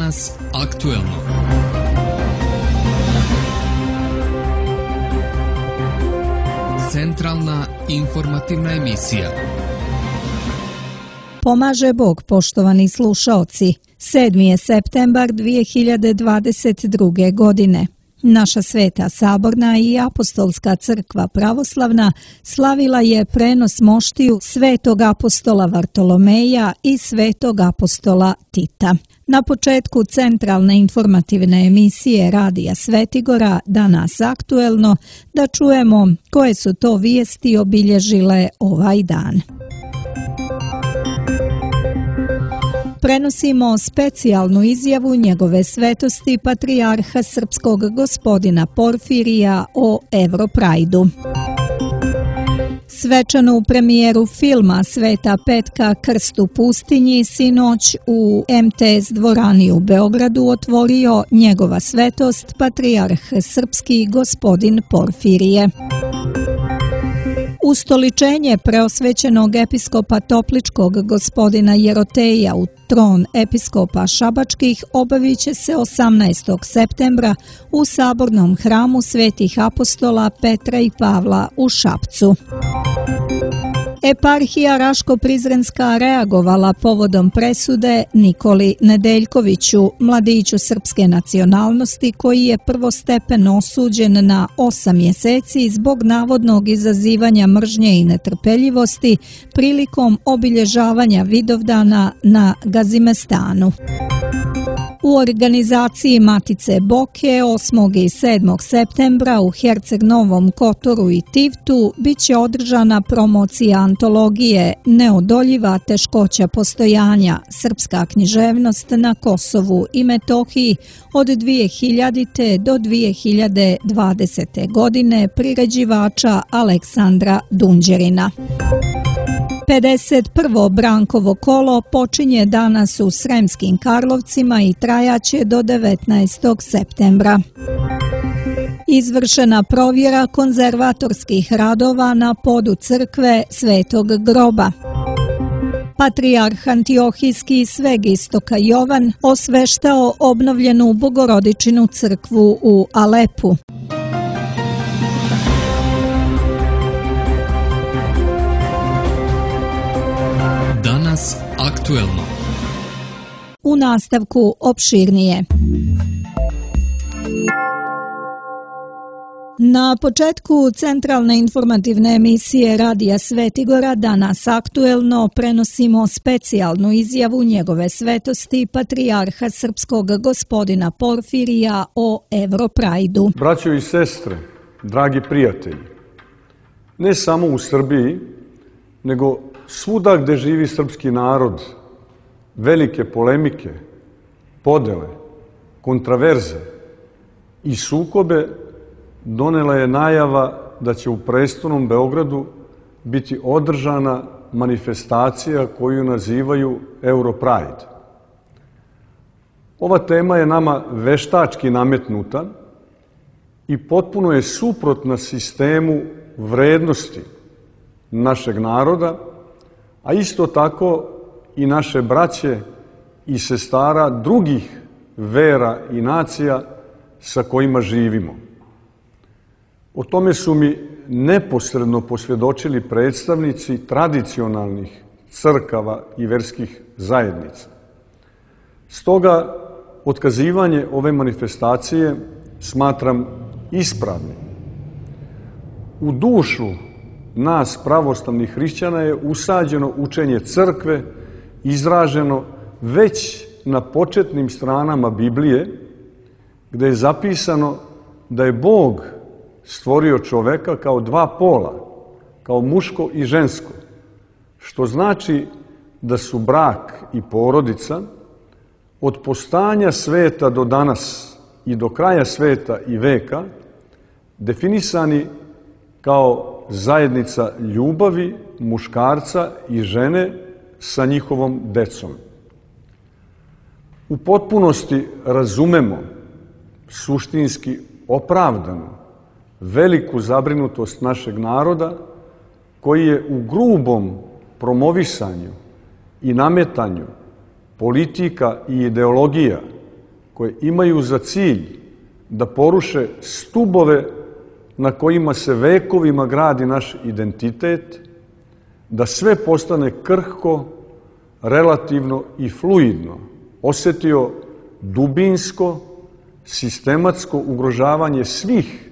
Danas aktuelno. Centralna informativna emisija. Pomaže Bog, poštovani slušaoci. 7. je septembar 2022. godine. Naša Sveta Saborna i Apostolska crkva pravoslavna slavila je prenos moštiju Svetog apostola Vartolomeja i Svetog apostola Tita. Na početku centralne informativne emisije Radija Svetigora Danas aktuelno da čujemo koje su to vijesti obilježile ovaj dan. Prenosimo specijalnu izjavu njegove svetosti patrijarha srpskog gospodina Porfirija o Europrajdu. Svečanu premijeru filma Sveta Petka Krst u pustinji sinoć u MTS dvorani u Beogradu otvorio njegova svetost patrijarh srpski gospodin Porfirije. Ustoličenje preosvećenog episkopa Topličkog gospodina Jeroteja u tron episkopa Šabačkih obavit će se 18. septembra u sabornom hramu Svetih apostola Petra i Pavla u Šapcu. Eparhija Raško-Prizrenska reagovala povodom presude Nikoli Nedeljkoviću, mladiću srpske nacionalnosti koji je prvostepeno osuđen na 8 mjeseci zbog navodnog izazivanja mržnje i netrpeljivosti prilikom obilježavanja Vidovdana na Gazimestanu. U organizaciji Matice Boke 8. i 7. septembra u Herceg Novom Kotoru i Tivtu bit će održana promocija antologije Neodoljiva teškoća postojanja, srpska književnost na Kosovu i Metohiji od 2000. do 2020. godine priređivača Aleksandra Dunđerina. 51. Brankovo kolo počinje danas u Sremskim Karlovcima i trajaće do 19. septembra. Izvršena provjera konzervatorskih radova na podu crkve Svetog groba. Patrijarh Antiohijski Sveg Istoka Jovan osveštao obnovljenu Bogorodičinu crkvu u Alepu. Danas aktuelno. U nastavku opširnije. Na početku centralne informativne emisije Radija Svetigora Danas aktuelno prenosimo specijalnu izjavu njegove svetosti patrijarha srpskog gospodina Porfirija o Europrajdu. Braćo i sestre, dragi prijatelji, ne samo u Srbiji, nego svuda gde živi srpski narod, velike polemike, podele, kontraverze i sukobe donela je najava da će u prestolnom Beogradu biti održana manifestacija koju nazivaju Europride. Ova tema je nama veštački nametnuta i potpuno je suprotna sistemu vrednosti našeg naroda, a isto tako i naše braće i sestara drugih vera i nacija sa kojima živimo. O tome su mi neposredno posvjedočili predstavnici tradicionalnih crkava i verskih zajednica. Stoga, otkazivanje ove manifestacije smatram ispravnim. U dušu nas pravoslavnih hrišćana je usađeno učenje crkve, izraženo već na početnim stranama Biblije, gde je zapisano da je Bog stvorio čoveka kao dva pola, kao muško i žensko, što znači da su brak i porodica od postojanja sveta do danas i do kraja sveta i veka definisani kao zajednica ljubavi muškarca i žene sa njihovom decom. U potpunosti razumemo suštinski opravdano veliku zabrinutost našeg naroda koji je u grubom promovisanju i nametanju politika i ideologija koje imaju za cilj da poruše stubove na kojima se vekovima gradi naš identitet, da sve postane krhko, relativno i fluidno, osetio dubinsko, sistematsko ugrožavanje svih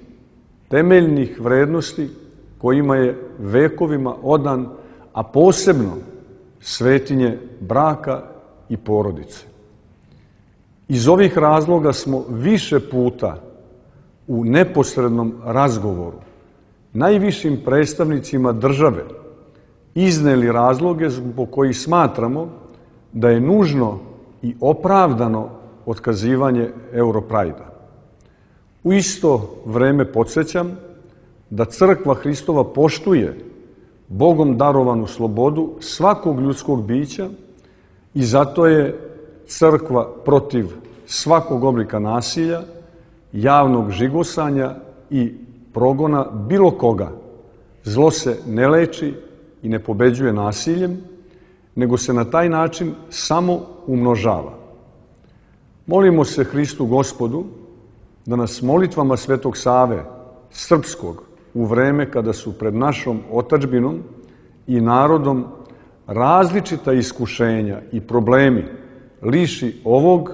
temeljnih vrednosti kojima je vekovima odan, a posebno svetinje braka i porodice. Iz ovih razloga smo više puta u neposrednom razgovoru najvišim predstavnicima države izneli razloge zbog kojih smatramo da je nužno i opravdano otkazivanje Europrajda. U isto vreme podsjećam da Crkva Hristova poštuje Bogom darovanu slobodu svakog ljudskog bića i zato je Crkva protiv svakog oblika nasilja, javnog žigosanja i progona bilo koga. Zlo se ne leči i ne pobeđuje nasiljem, nego se na taj način samo umnožava. Molimo se Hristu Gospodu da nas molitvama Svetog Save Srpskog u vreme kada su pred našom otadžbinom i narodom različita iskušenja i problemi liši ovog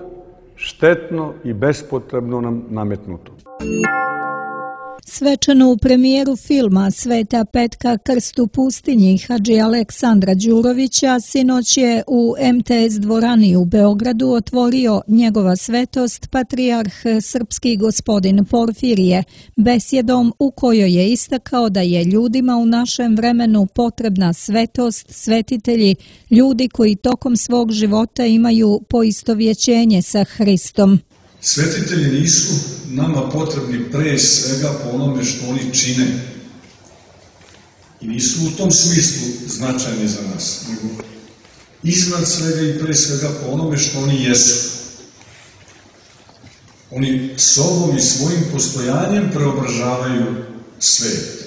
štetno i bespotrebno nam nametnuto. Svečanu premijeru filma Sveta Petka Krst u pustinji Hadži Aleksandra Đurovića sinoć je u MTS dvorani u Beogradu otvorio njegova svetost patrijarh srpski gospodin Porfirije besjedom u kojoj je istakao da je ljudima u našem vremenu potrebna svetost, svetitelji, ljudi koji tokom svog života imaju poistovjećenje sa Hristom. Svetitelji nisu nama potrebni pre svega po onome što oni čine i nisu u tom smislu značajni za nas, nego iznad svega i pre svega po onome što oni jesu. Oni sobom i svojim postojanjem preobražavaju svet.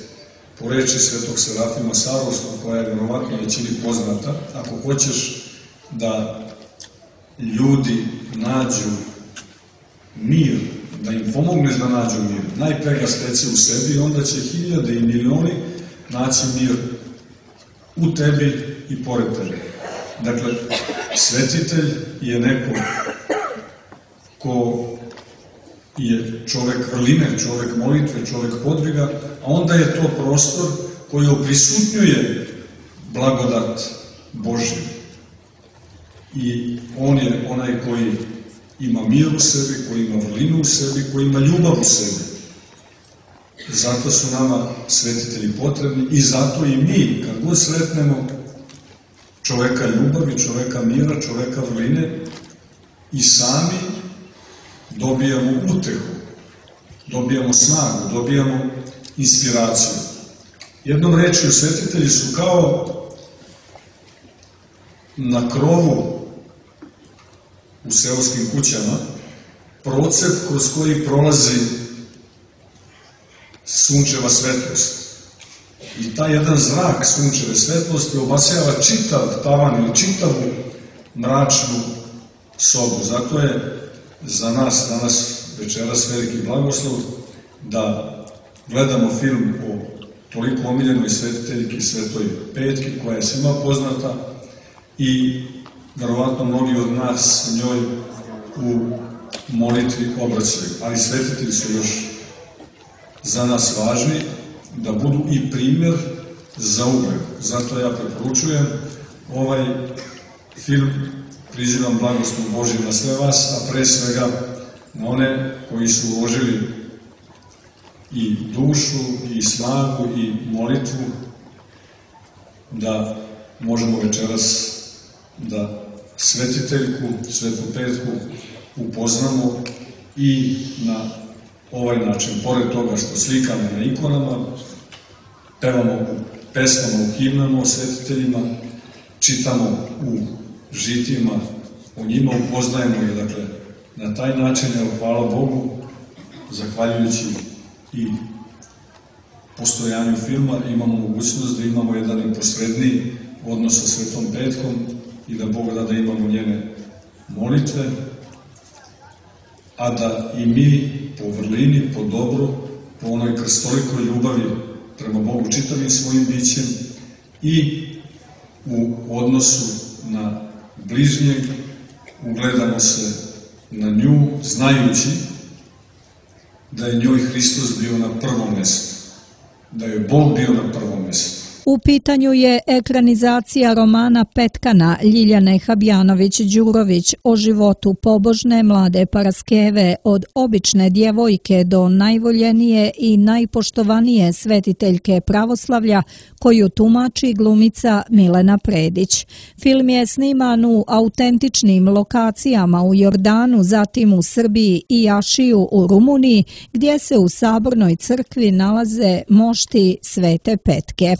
Po reči svetog Serafima Sarovskog, koja je verovatno većini poznata, ako hoćeš da ljudi nađu mir, da im pomogneš da nađu mir, najpre ga steci u sebi, onda će hiljade i milioni naći mir u tebi i pored tebe. Dakle, svetitelj je neko ko je čovek vrline, čovek molitve, čovek podviga, a onda je to prostor koji oprisutnjuje blagodat Božju. I on je onaj koji ima mir u sebi, koji ima vrlinu u sebi, koji ima ljubav u sebi. Zato su nama svetitelji potrebni i zato i mi, kad god sretnemo čoveka ljubavi, čoveka mira, čoveka vrline, i sami dobijamo utehu, dobijamo snagu, dobijamo inspiraciju. Jednom rečju, svetitelji su kao na krovu u seoskim kućama procep kroz koji prolazi sunčeva svetlost. I taj jedan zrak sunčeve svetlosti obasjava čitav tavan ili čitavu mračnu sobu. Zato je za nas danas večeras veliki blagoslov da gledamo film o toliko omiljenoj svetiteljki Svetoj Petki, koja je svima poznata i verovatno mnogi od nas njoj u molitvi obraćaju. Ali svetitelji su još za nas važni da budu i primjer za ugled. Zato ja preporučujem ovaj film, prizivam blagoslov Božji na sve vas, a pre svega na one koji su uložili i dušu, i snagu, i molitvu, da možemo večeras da svetiteljku, Svetu Petku upoznamo i na ovaj način, pored toga što slikamo na ikonama, pevamo u pesmama, u himnama o svetiteljima, čitamo u žitima, o njima upoznajemo i dakle, na taj način, evo, hvala Bogu, zahvaljujući i postojanju filma, imamo mogućnost da imamo jedan neposredniji odnos sa Svetom Petkom i da Bog da imamo njene molitve a da i mi po vrlini, po dobru, po onoj krstolikoj ljubavi prema Bogu čitavim svojim bićem i u odnosu na bližnjeg ugledamo se na nju, znajući da je njoj Hristos bio na prvom mestu, da je Bog bio na prvom mestu. U pitanju je ekranizacija romana Petkana Ljiljane Habjanović-Đurović o životu pobožne mlade Paraskeve od obične djevojke do najvoljenije i najpoštovanije svetiteljke pravoslavlja koju tumači glumica Milena Predić. Film je sniman u autentičnim lokacijama u Jordanu, zatim u Srbiji i Ašiju u Rumuniji, gdje se u Sabornoj crkvi nalaze mošti Svete Petke.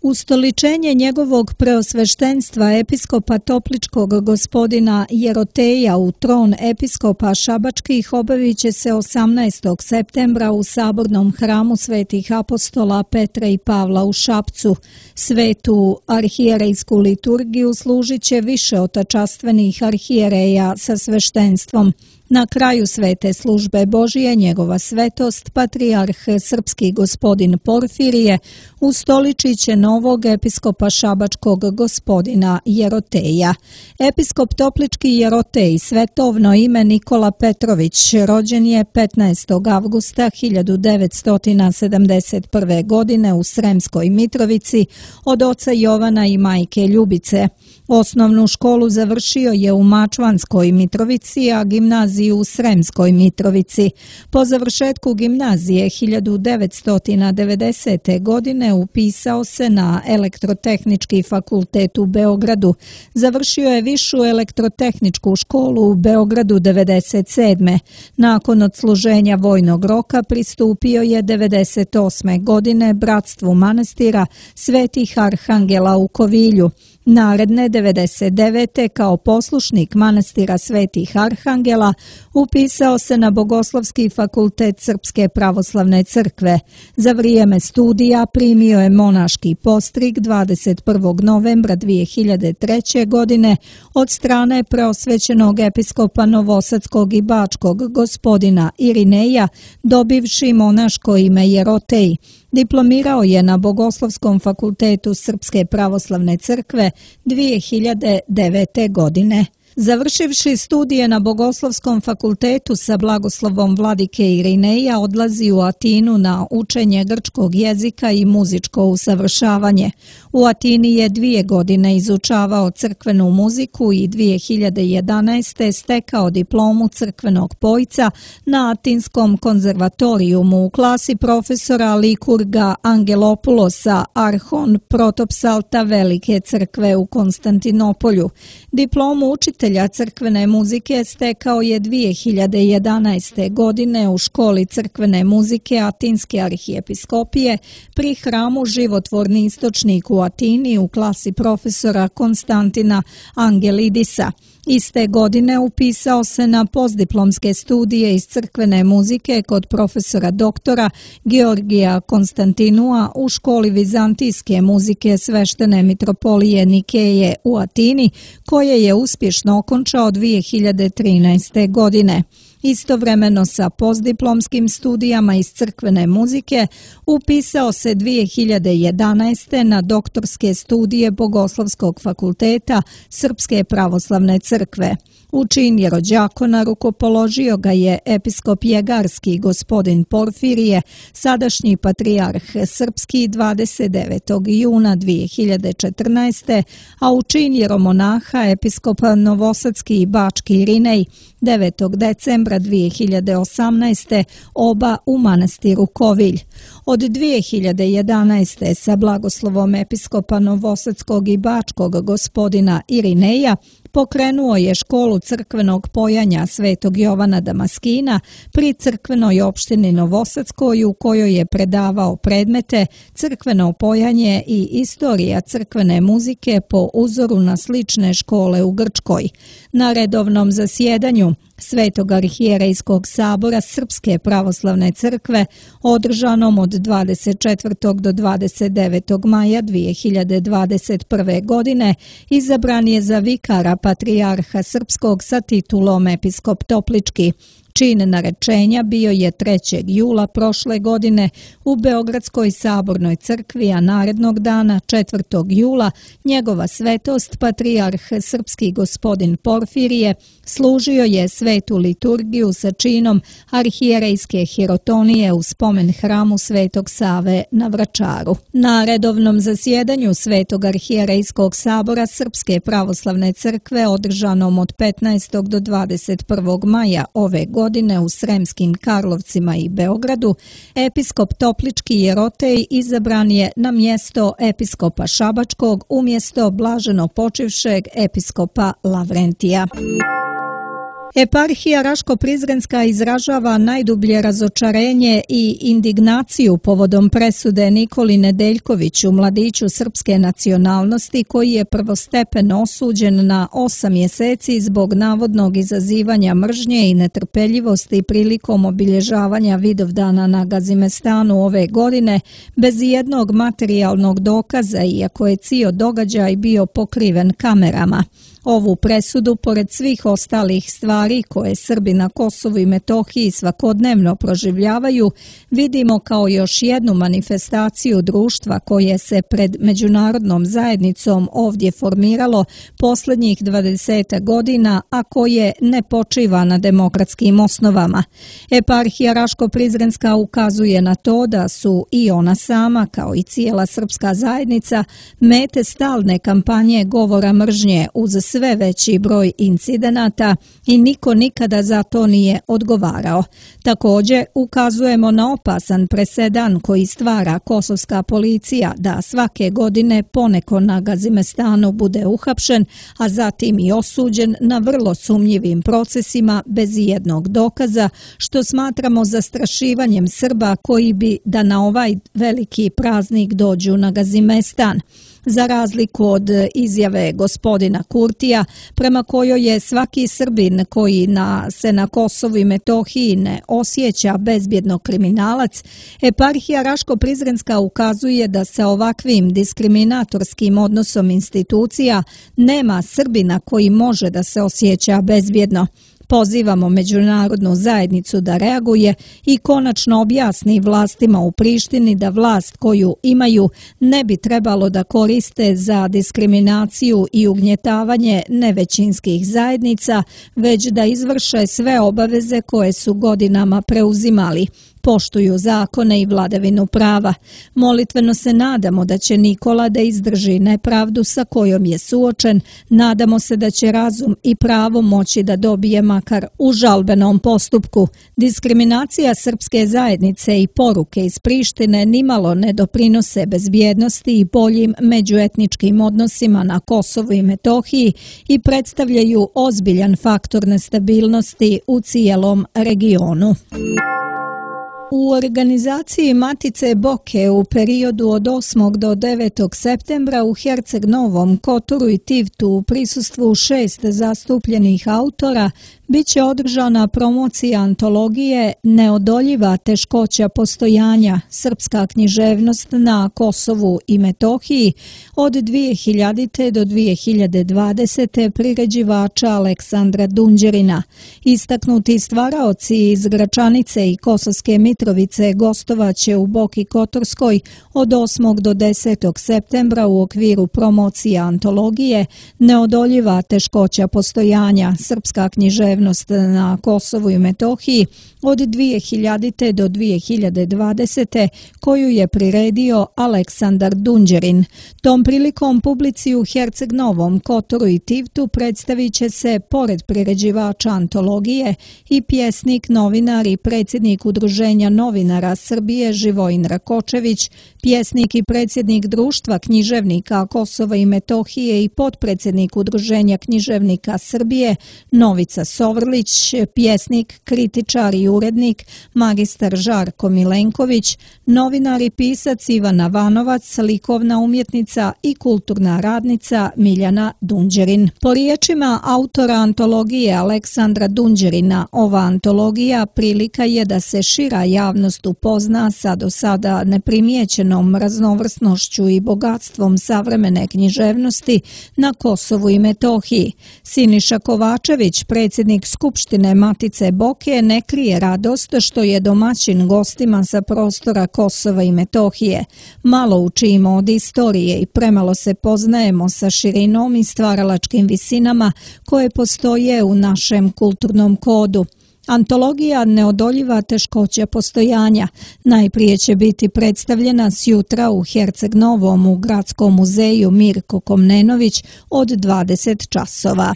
Ustoličenje njegovog preosveštenstva episkopa Topličkog gospodina Jeroteja u tron episkopa Šabačkih obavit će se 18. septembra u Sabornom hramu Svetih apostola Petra i Pavla u Šapcu. Svetu arhijerejsku liturgiju služit će više otačastvenih arhijereja sa sveštenstvom. Na kraju svete službe Božije njegova svetost, patrijarh srpski gospodin Porfirije, ustoličit će novog episkopa Šabačkog gospodina Jeroteja. Episkop Toplički Jerotej, svetovno ime Nikola Petrović, rođen je 15. avgusta 1971. godine u Sremskoj Mitrovici od oca Jovana i majke Ljubice. Osnovnu školu završio je u Mačvanskoj Mitrovici, a gimnaziju u Sremskoj Mitrovici. Po završetku gimnazije 1990. godine upisao se na Elektrotehnički fakultet u Beogradu. Završio je Višu elektrotehničku školu u Beogradu 1997. Nakon odsluženja vojnog roka pristupio je 1998. godine bratstvu manastira Svetih Arhangela u Kovilju. Naredne 1999. kao poslušnik manastira Svetih Arhangela upisao se na Bogoslovski fakultet Srpske pravoslavne crkve. Za vrijeme studija primio je monaški postrig 21. novembra 2003. godine od strane preosvećenog episkopa Novosadskog i Bačkog gospodina Irineja, dobivši monaško ime Jerotej. Diplomirao je na Bogoslovskom fakultetu Srpske pravoslavne crkve 2009. godine. Završivši studije na Bogoslovskom fakultetu sa blagoslovom vladike Irineja, odlazi u Atinu na učenje grčkog jezika i muzičko usavršavanje. U Atini je 2 godine izučavao crkvenu muziku i 2011. stekao diplomu crkvenog pojca na Atinskom konzervatorijumu u klasi profesora Likurga Angelopulosa Arhon Protopsalta Velike crkve u Konstantinopolju. Diplomu učitelja crkvene muzike stekao je 2011. godine u školi crkvene muzike Atinske arhijepiskopije pri hramu Životvorni istočnik u Atini u klasi profesora Konstantina Angelidisa. Iste godine upisao se na postdiplomske studije iz crkvene muzike kod profesora doktora Georgija Konstantinua u školi vizantijske muzike Sveštene mitropolije Nikeje u Atini, koje je uspješno okončao 2013. godine. Istovremeno sa postdiplomskim studijama iz crkvene muzike upisao se 2011. na doktorske studije Bogoslovskog fakulteta Srpske pravoslavne crkve. U čin jerođakona rukopoložio ga je episkop Jegarski gospodin Porfirije, sadašnji patrijarh srpski 29. juna 2014. a u čin jeromonaha episkop Novosadski i Bački Irinej 9. decembra 2018. oba u manastiru Kovilj. Od 2011. sa blagoslovom episkopa Novosadskog i Bačkog gospodina Irineja pokrenuo je školu crkvenog pojanja Svetog Jovana Damaskina pri crkvenoj opštini Novosadskoj, u kojoj je predavao predmete crkveno pojanje i istorija crkvene muzike po uzoru na slične škole u Grčkoj. Na redovnom zasjedanju Svetog arhijerejskog sabora Srpske pravoslavne crkve, održanom od od 24. do 29. maja 2021. godine izabran je za vikara patrijarha srpskog sa titulom episkop Toplički. Čin narečenja bio je 3. jula prošle godine u Beogradskoj sabornoj crkvi, a narednog dana 4. jula njegova svetost patrijarh srpski gospodin Porfirije služio je svetu liturgiju sa činom arhijerejske hirotonije u spomen hramu Svetog Save na Vračaru. Na redovnom zasjedanju Svetog arhijerejskog sabora Srpske pravoslavne crkve održanom od 15. do 21. maja ove godine u Sremskim Karlovcima i Beogradu, episkop Toplički Jerotej izabran je na mjesto episkopa Šabačkog umjesto blaženo počivšeg episkopa Lavrentija. Eparhija Raško-Prizrenska izražava najdublje razočarenje i indignaciju povodom presude Nikoli Nedeljkoviću, mladiću srpske nacionalnosti koji je prvostepeno osuđen na 8 mjeseci zbog navodnog izazivanja mržnje i netrpeljivosti prilikom obilježavanja Vidovdana na Gazimestanu ove godine bez jednog materijalnog dokaza, iako je cijeli događaj bio pokriven kamerama. Ovu presudu, pored svih ostalih stvari koje Srbi na Kosovu i Metohiji svakodnevno proživljavaju, vidimo kao još jednu manifestaciju društva koje se pred međunarodnom zajednicom ovdje formiralo posljednjih 20 godina, a koje ne počiva na demokratskim osnovama. Eparhija Raško-Prizrenska ukazuje na to da su i ona sama, kao i cijela srpska zajednica, mete stalne kampanje govora mržnje uz sve veći broj incidenata i niko nikada za to nije odgovarao. Također ukazujemo na opasan presedan koji stvara kosovska policija da svake godine poneko na Gazimestanu bude uhapšen, a zatim i osuđen na vrlo sumnjivim procesima bez jednog dokaza, što smatramo zastrašivanjem Srba koji bi da na ovaj veliki praznik dođu na Gazimestan. Za razliku od izjave gospodina Kurtija, prema kojoj je svaki Srbin koji se na Kosovu i Metohiji ne osjeća bezbjedno kriminalac, eparhija Raško-Prizrenska ukazuje da sa ovakvim diskriminatorskim odnosom institucija nema Srbina koji može da se osjeća bezbjedno. Pozivamo međunarodnu zajednicu da reaguje i konačno objasni vlastima u Prištini da vlast koju imaju ne bi trebalo da koriste za diskriminaciju i ugnjetavanje nevećinskih zajednica, već da izvrše sve obaveze koje su godinama preuzimali. Poštuju zakone i vladavinu prava. Molitveno se nadamo da će Nikola da izdrži nepravdu sa kojom je suočen, nadamo se da će razum i pravo moći da dobije makar u žalbenom postupku. Diskriminacija srpske zajednice i poruke iz Prištine nimalo ne doprinose bezbjednosti i boljim međuetničkim odnosima na Kosovu i Metohiji i predstavljaju ozbiljan faktor nestabilnosti u cijelom regionu. U organizaciji Matice Boke u periodu od 8. do 9. septembra u Herceg Novom, Kotoru i Tivtu u prisustvu 6 zastupljenih autora biće održana promocija antologije Neodoljiva teškoća postojanja, srpska književnost na Kosovu i Metohiji od 2000. do 2020. priređivača Aleksandra Dunđerina. Istaknuti stvaraoci iz Gračanice i Kosovske Mitrovice gostovaće u Boki Kotorskoj od 8. do 10. septembra u okviru promocije antologije Neodoljiva teškoća postojanja, srpska književnost na Kosovu i Metohiji od 2000. do 2020. koju je priredio Aleksandar Dunđerin. Tom prilikom publici u Herceg Novom, Kotoru i Tivtu predstavit će se, pored priređivača antologije, i pjesnik, novinar i predsjednik Udruženja novinara Srbije Živojin Rakočević, pjesnik i predsjednik Društva književnika Kosova i Metohije i potpredsjednik Udruženja književnika Srbije Novica Sovrlić, pjesnik, kritičar i urednik magistar Žarko Milenković, novinar i pisac Ivana Vanovac, likovna umjetnica i kulturna radnica Miljana Dunđerin. Po riječima autora antologije Aleksandra Dunđerina, ova antologija prilika je da se šira javnost upozna sa do sada neprimijećenom raznovrsnošću i bogatstvom savremene književnosti na Kosovu i Metohiji. Siniša Kovačević, predsjednik Skupštine Matice Boke, ne krije radost što je domaćin gostima sa prostora Kosova i Metohije. Malo učimo od istorije i premalo se poznajemo sa širinom i stvaralačkim visinama koje postoje u našem kulturnom kodu. Antologija neodoljiva teškoća postojanja. Najprije će biti predstavljena sjutra u Herceg Novom u Gradskom muzeju Mirko Komnenović od 20 časova.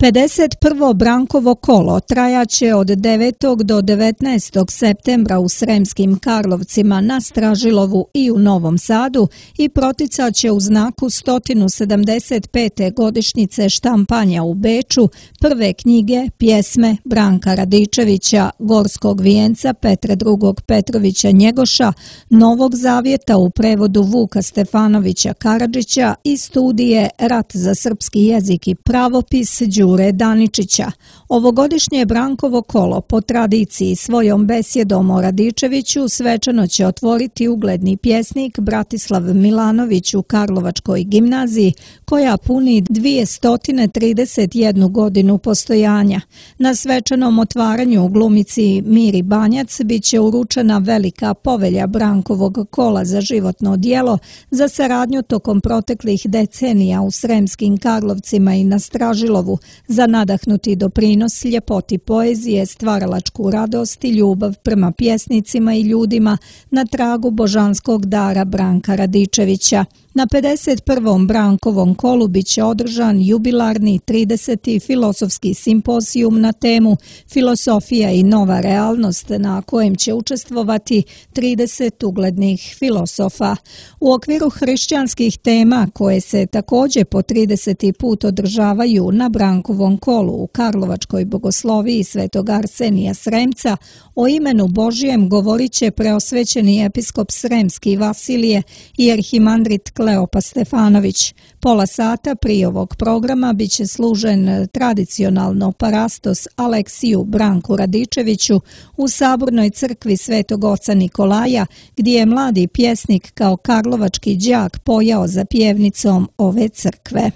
51. Brankovo kolo trajaće od 9. do 19. septembra u Sremskim Karlovcima, na Stražilovu i u Novom Sadu i proticaće u znaku 175. godišnjice štampanja u Beču prve knjige, pjesme Branka Radičevića, Gorskog vijenca Petra II. Petrovića Njegoša, Novog zavjeta u prevodu Vuka Stefanovića Karadžića i studije Rat za srpski jezik i pravopis Đure Daničića. Ovogodišnje Brankovo kolo po tradiciji svojom besjedom o Radičeviću svečano će otvoriti ugledni pjesnik Bratislav Milanović u Karlovačkoj gimnaziji, koja puni 231 godinu postojanja. Na svečanom otvaranju u glumici Miri Banjac biće uručena velika povelja Brankovog kola za životno djelo za saradnju tokom proteklih decenija u Sremskim Karlovcima i na Stražilovu, za nadahnuti doprinos ljepoti poezije, stvaralačku radost i ljubav prema pjesnicima i ljudima na tragu božanskog dara Branka Radičevića. Na 51. Brankovom kolu biće održan jubilarni 30. filozofski simpozijum na temu Filosofija i nova realnost, na kojem će učestvovati 30 uglednih filosofa. U okviru hrišćanskih tema, koje se također po 30. put održavaju na Brankovom kolu u Karlovačkoj bogosloviji Svetog Arsenija Sremca, o imenu Božijem govorit će preosvećeni episkop Sremski Vasilije i arhimandrit Kleopa Stefanović. Pola sata prije ovog programa biće služen tradicionalno parastos Aleksiju Branku Radičeviću u Sabornoj crkvi Svetog oca Nikolaja, gdje je mladi pjesnik kao karlovački đak pojao za pjevnicom ove crkve.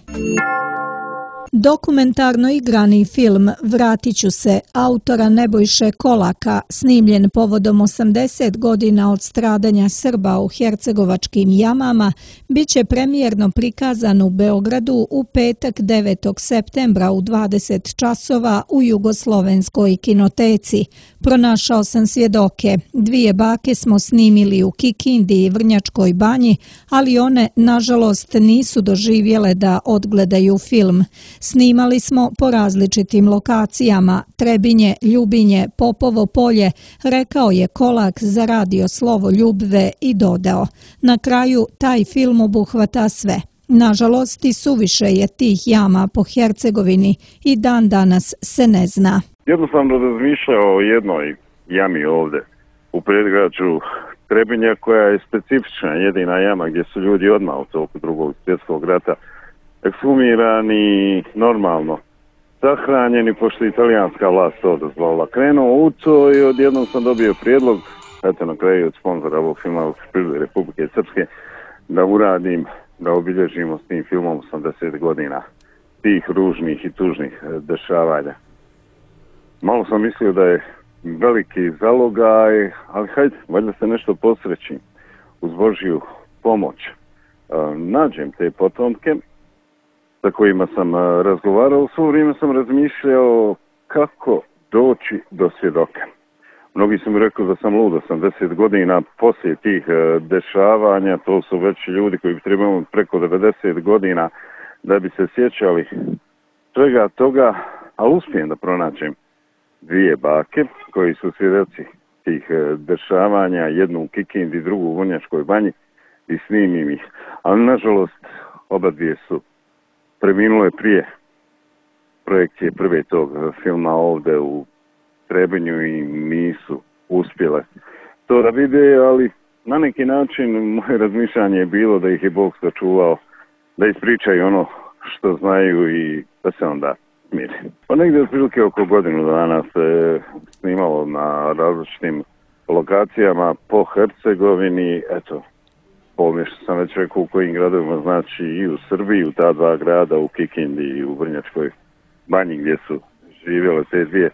Dokumentarno igrani film Vratit ću se autora Nebojše Kolaka, snimljen povodom 80 godina od stradanja Srba u hercegovačkim jamama, bit će premijerno prikazan u Beogradu u petak 9. septembra u 20 časova u Jugoslovenskoj kinoteci. Pronašao sam svjedoke. 2 bake smo snimili u Kikindi i Vrnjačkoj banji, ali one, nažalost, nisu doživjele da odgledaju film. Snimali smo po različitim lokacijama, Trebinje, Ljubinje, Popovo polje, rekao je Kolak za radio Slovo Ljubve i dodao: na kraju taj film obuhvata sve. Nažalost, i suviše je tih jama po Hercegovini i dan danas se ne zna. Jednostavno razmišljao o jednoj jami ovdje u predgrađu Trebinja, koja je specifična, jedina jama gdje su ljudi odmah u toku Drugog svjetskog rata ekshumirani, normalno sahranjeni, pošto italijanska vlast to dozvolila. Krenuo u to i odjednom sam dobio prijedlog, eto na kraju od sponzora ovog filma Republike Srpske, da uradim, da obilježimo s tim filmom 80 godina tih ružnih i tužnih dešavanja. Malo sam mislio da je veliki zalogaj, ali hajde, valjda se nešto posreći uz Božju pomoć. Nađem te potomke sa kojima sam razgovarao, svo vrijeme sam razmišljao kako doći do svjedoka. Mnogi su mi rekli da sam lud, 80 godina poslije tih dešavanja, to su već ljudi koji bi trebali preko 90 godina da bi se sjećali svega toga, ali uspijem da pronađem 2 bake koji su svjedoci tih dešavanja, jednu u Kikindi, drugu u Vrnjačkoj banji, i snimim ih. Ali nažalost oba dvije su preminule prije projekcije prve tog filma ovdje u Trebinju i nisu uspjele to da vide, ali na neki način moje razmišljanje je bilo da ih je Bog sačuvao, da ispričaju ono što znaju i da se onda smiri. Pa negdje otprilike oko godinu dana se snimalo na različitim lokacijama po Hercegovini, eto, što sam već rekao u kojim gradovima, znači i u Srbiji, u ta dva grada, u Kikindi i u Vrnjačkoj Banji gdje su živjele te dvije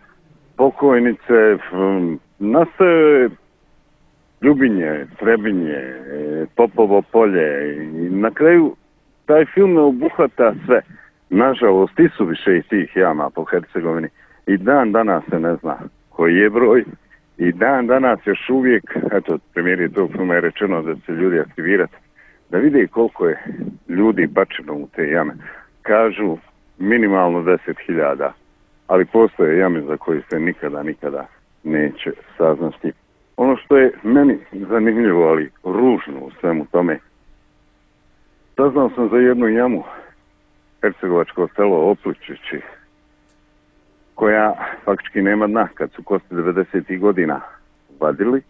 pokojnice. Nastaje Ljubinje, Trebinje, Popovo polje i na kraju taj film ne obuhvata sve. Nažalost, i su više i tih jama po Hercegovini i dan danas se ne zna koji je broj i dan danas još uvijek, eto, premijeri tog filma je rečeno da će ljudi aktivirati, da vide koliko je ljudi bačeno u te jame. Kažu minimalno 10.000, ali postoje jame za koje se nikada neće saznati. Ono što je meni zanimljivo, ali ružno u svemu tome, saznao sam za jednu jamu, hercegovačko selo Opličići, koja faktički nema dna. Kad su kosti 90. godina vadili,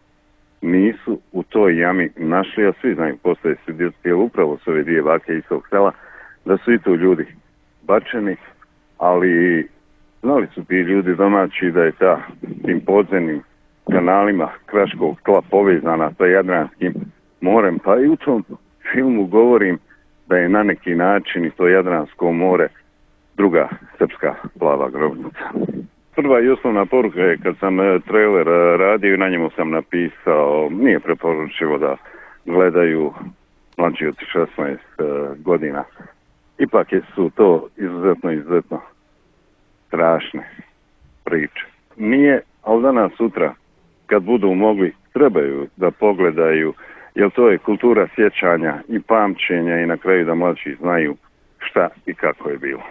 nisu u toj jami našli, a svi znaju, postoje svjedoci upravo s ove dvije bake iz tog sela, da su i tu ljudi bačeni, ali znali su ti ljudi domaći da je tim podzemnim kanalima kraškog tla povezana sa Jadranskim morem, pa i u tom filmu govorim da je na neki način i to Jadransko more druga srpska plava grobnica. Prva i osnovna poruka je kad sam trailer radio i na njemu sam napisao, nije preporučivo da gledaju mlađi od 16 godina. Ipak su to izuzetno strašne priče. Nije, ali danas sutra kad budu mogli, trebaju da pogledaju, jer to je kultura sjećanja i pamćenja i na kraju da mlađi znaju šta i kako je bilo.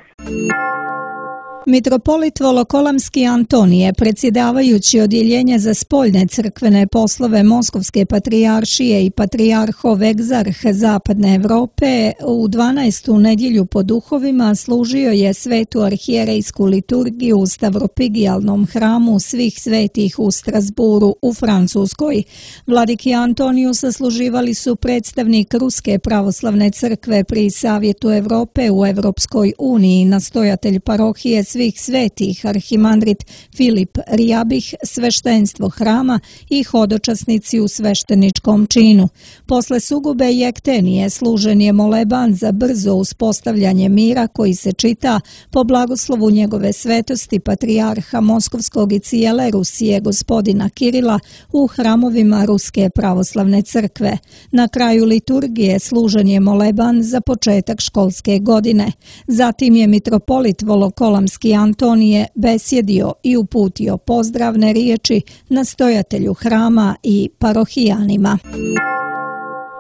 Mitropolit Volokolamski Antonije, predsjedavajući odjeljenje za spoljne crkvene poslove Moskovske patrijaršije i patrijarhov egzarh Zapadne Europe, u 12. nedjelju po duhovima služio je svetu arhijerejsku liturgiju u Stavropigijalnom hramu svih svetih u Strasburu u Francuskoj. Vladiki Antoniju sasluživali su predstavnik Ruske pravoslavne crkve pri Savjetu Europe u Europskoj uniji, nastojatelj parohije svih svetih arhimandrit Filip Rijabih, sveštenstvo hrama i hodočasnici u svešteničkom činu. Posle sugube jektenije služen je moleban za brzo uspostavljanje mira koji se čita po blagoslovu njegove svetosti patrijarha Moskovskog i cijele Rusije gospodina Kirila u hramovima Ruske pravoslavne crkve. Na kraju liturgije služen je moleban za početak školske godine. Zatim je mitropolit Volokolamski Antonije besjedio i uputio pozdravne riječi nastojatelju hrama i parohijanima.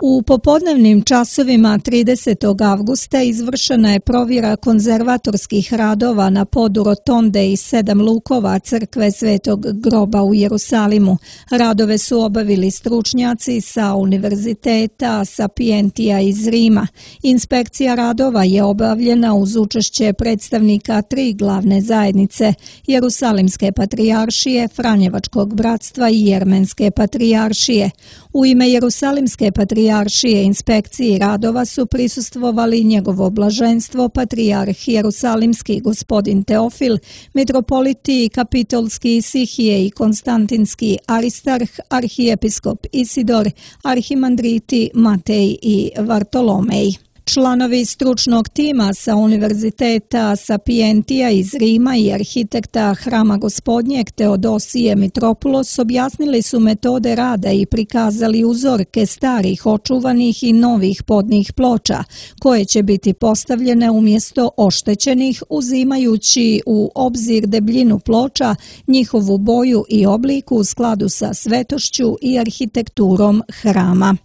U popodnevnim časovima 30. avgusta izvršena je provjera konzervatorskih radova na podu rotonde i 7 lukova crkve Svetog groba u Jerusalimu. Radove su obavili stručnjaci sa Univerziteta Sapientija iz Rima. Inspekcija radova je obavljena uz učešće predstavnika 3 glavne zajednice, Jerusalimske patrijaršije, Franjevačkog bratstva i Jermenske patrijaršije. U ime Jerusalimske patrijaršije inspekciji radova su prisustvovali njegovo blaženstvo patrijarh Jerusalimski gospodin Teofil, mitropoliti Kapitolski Isihije i Konstantinski Aristarh, arhijepiskop Isidor, arhimandriti Matej i Vartolomej. Članovi stručnog tima sa Univerziteta Sapientija iz Rima i arhitekta Hrama Gospodnjeg Teodosije Mitropulos objasnili su metode rada i prikazali uzorke starih, očuvanih i novih podnih ploča, koje će biti postavljene umjesto oštećenih, uzimajući u obzir debljinu ploča, njihovu boju i obliku u skladu sa svetošću i arhitekturom hrama.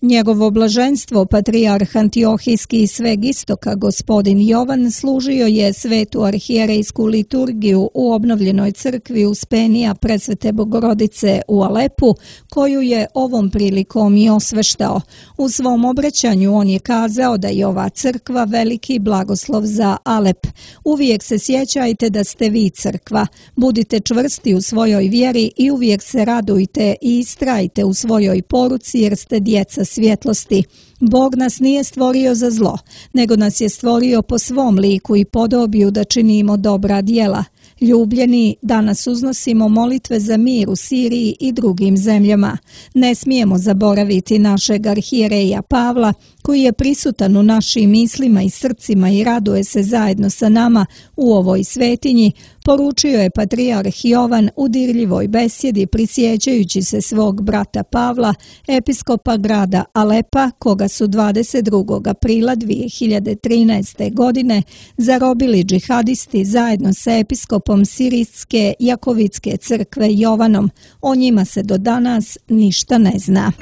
Njegovo blaženstvo, patrijarh Antiohijski i sveg istoka, gospodin Jovan, služio je svetu arhijerejsku liturgiju u obnovljenoj crkvi Uspenija Presvete Bogorodice u Alepu, koju je ovom prilikom i osveštao. U svom obraćanju on je kazao da je ova crkva veliki blagoslov za Alep. Uvijek se sjećajte da ste vi crkva. Budite čvrsti u svojoj vjeri i uvijek se radujte i istrajte u svojoj poruci jer ste djeca svjetlosti. Bog nas nije stvorio za zlo, nego nas je stvorio po svom liku i podobiju da činimo dobra djela. Ljubljeni, danas uznosimo molitve za mir u Siriji i drugim zemljama. Ne smijemo zaboraviti našeg arhijereja Pavla, koji je prisutan u našim mislima i srcima i raduje se zajedno sa nama u ovoj svetinji, poručio je patrijarh Jovan u dirljivoj besjedi prisjećajući se svog brata Pavla, episkopa grada Alepa, koga su 22. aprila 2013. godine zarobili džihadisti zajedno sa episkopom Sirijske Jakovitske crkve Jovanom. O njima se do danas ništa ne zna.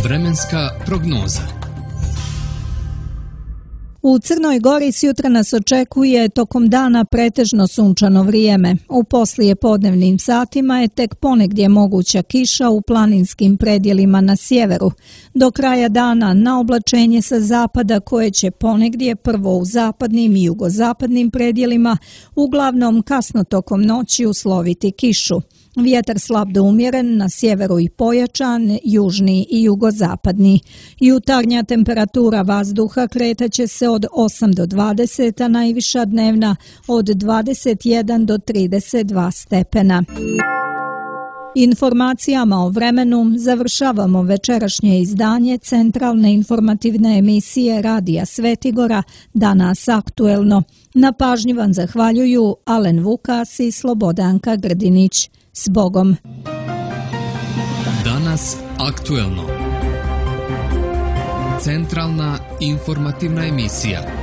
Vremenska prognoza. U Crnoj Gori sjutra nas očekuje tokom dana pretežno sunčano vrijeme. U poslijepodnevnim satima je tek ponegdje moguća kiša u planinskim predjelima na sjeveru. Do kraja dana na oblačenje sa zapada koje će ponegdje prvo u zapadnim i jugozapadnim predjelima, uglavnom kasno tokom noći usloviti kišu. Vjetar slab do umjeren, na sjeveru i pojačan, južni i jugozapadni. Jutarnja temperatura vazduha kretaće se od 8 do 20, a najviša dnevna od 21 do 32 stepena. Informacijama o vremenu završavamo večerašnje izdanje centralne informativne emisije Radija Svetigora Danas aktuelno. Na pažnji vam zahvaljuju Alen Vukas i Slobodanka Grdinić. S Bogom. Danas aktuelno. Centralna informativna emisija.